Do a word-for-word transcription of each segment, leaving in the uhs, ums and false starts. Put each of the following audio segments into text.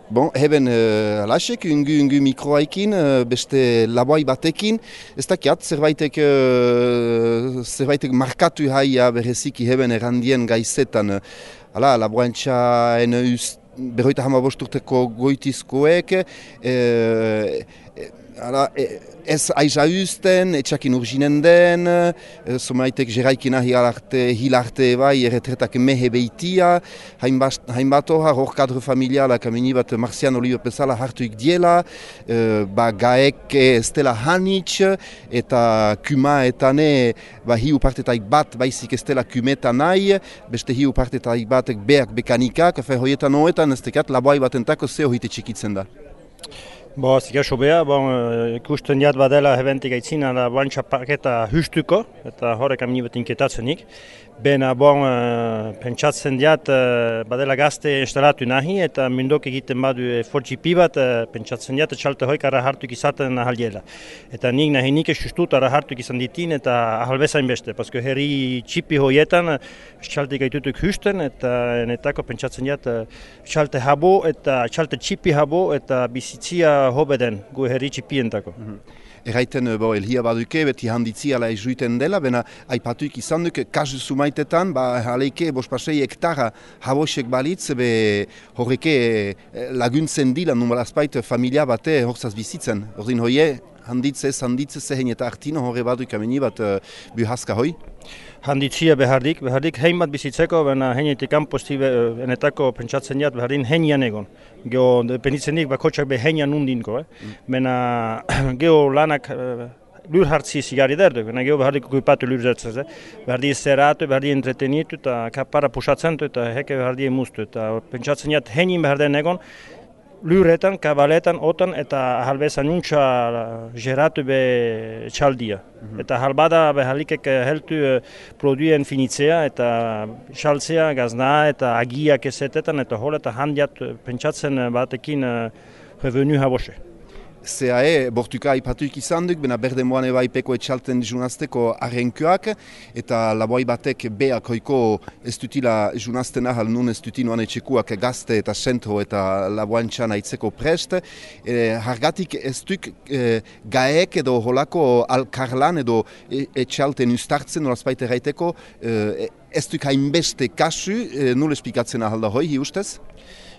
Bon, heben uh, lasek, ungu ungu mikroaikin, uh, beste laboai batekin, ez dakiat, zerbaitek, uh, zerbaitek markatu haia bereziki heben errandien gaizetan. Hala, laboantxaen berroita hama bosturteko goitizkoek, uh, Hala, ez aiza uzten, etxakin urginen den, somaitek jeraikina hilarte bai erretretak mehe beitia, hainbat horra, hor kadro familialak amini bat Marciano Oliver bezala hartuik diela, ba gaek ez dela hanitz, eta kuma etane ba hiu partetaik bat baizik ez dela kumetan nahi, beste hiu partetaik batek beak bekanikak, fe hoietan hoetan ez tekat laboai batentako ze hoite txikitzen da. Bo, zika sobea, bon, ikusten jat badela hebentik aitzina da bantxa paketa hustuko, eta horrek amini bat inketatzenik. Bena, bon, pentsatzen jat badela gazte instalatu nahi, eta mindok egiten badu fortxipi bat, pentsatzen jat txalte hoik ara hartuk izaten ahaldiela. Eta nik nahi nik esustut ara hartuk izan ditin, eta ahalbezain beste, pasko herri txipi hoietan txalte gaitutuk husten, eta netako pentsatzen jat txalte habo, eta txalte txipi habo, eta bizitzia hobeden gu herri txipientako. Mm-hmm. Erraiten, bo, elhia baduke, beti handitzi ala ezuiten dela, bena aipatuik izan duk, kasu sumaitetan, ba, aleike, bospasei hektara habosek balitz, be horreke laguntzen dila, numalazpait, familia bate horzaz bizitzen. Ordin hoie, handitze, handitze, zehen eta artino horre baduk ameni bat uh, buhazka hoi? Handitzia behardik, behardik hein bat bizitzeko, baina heinetik kanposti enetako pentsatzen jat behardin heinian egon. Geo, penitzenik bakotxak be heinian undinko, eh? Mm. Baina geo lanak lur hartzi zigari derdu, baina geo behardik okupatu lur zertzez, eh? Behardi zerratu, behardi entretenitu, eta kapara pusatzen du, eta heke behardi emustu. Eta pentsatzen jat heinin beharden egon, luretan, kabaletan, otan, eta halbezan untxa geratu be txaldia. Mm-hmm. Eta halbada behalikek heltu produien finitzea, eta txaltzea, gazna, eta agiak ezetetan, eta hol eta handiat pentsatzen batekin revenu habose. C A E bortuka aipatuik izan duk, bena berde moan eba ipeko etxalten junazteko arrenkoak, eta laboai batek beak hoiko ez dutila junazten ahal nun ez dutinoan etxekuak gazte eta sentro eta laboantxan aitzeko prest. E, hargatik ez duk e, gaek edo holako alkarlan edo etxalten ustartzen olazpait erraiteko, e, ez duk hainbeste kasu, e, nul espikatzen ahal da hoi, hi ustez?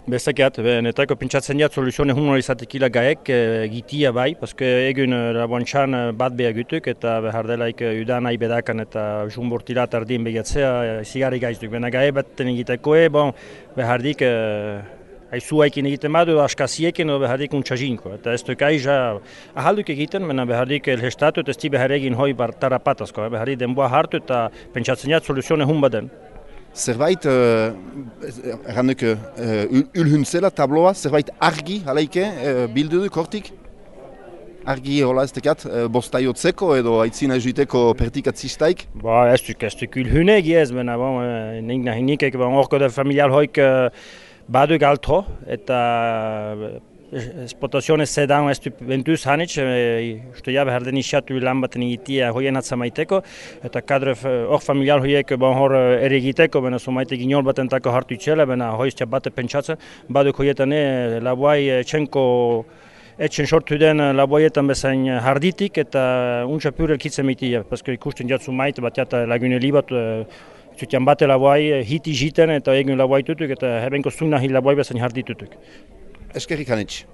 Bestekiat, netako pentsatzen jat soluzione humor izatekila gaek gitia bai, paske egun laboantxan bat beha gutuk eta behar delaik udan nahi bedakan eta jumbortilat ardien begatzea zigari gaiztuk. Bena gae baten egitekoe, bon, behar dik aizuaikin egiten badu, askaziekin edo behar dik untxazinko. Eta ez duk aiza ahalduk egiten, bena behar dik elhestatu eta ez di behar egin hoi tarapatazko. Behar dik denboa hartu eta pentsatzen jat soluzione hum baden. Zerbait, erranduk, uh, ulhuntzela tabloa, zerbait argi, halaike, uh, bildu duk hortik? Argi hola ez tekat, uh, bostaiotzeko edo aitzina juiteko pertikatzistaik? Ba, ez duk, ez duk ulhunegi ez, bena, bon, nik nahi nikek, bon, orko da familial hoik uh, badu galto, eta esplotazione sedan ez du bentuz hanitz, uste ja behar den isatu lan baten egitea hoien atzamaiteko, eta kadre hor familial hoiek bon hor ere egiteko, bena somaitek inol batentako hartu itxela, bena hoiztia bate pentsatzen, baduk hoietane laboai txenko etxen sortu den laboietan bezain harditik, eta untsa pur elkitzen mitia, paske ikusten jatzu maite bat jata lagune libat, zutian bate laboai hiti jiten eta egun laboai tutuk, eta hebenko zuna hi laboai bezain harditutuk. Eskerrik hanitz.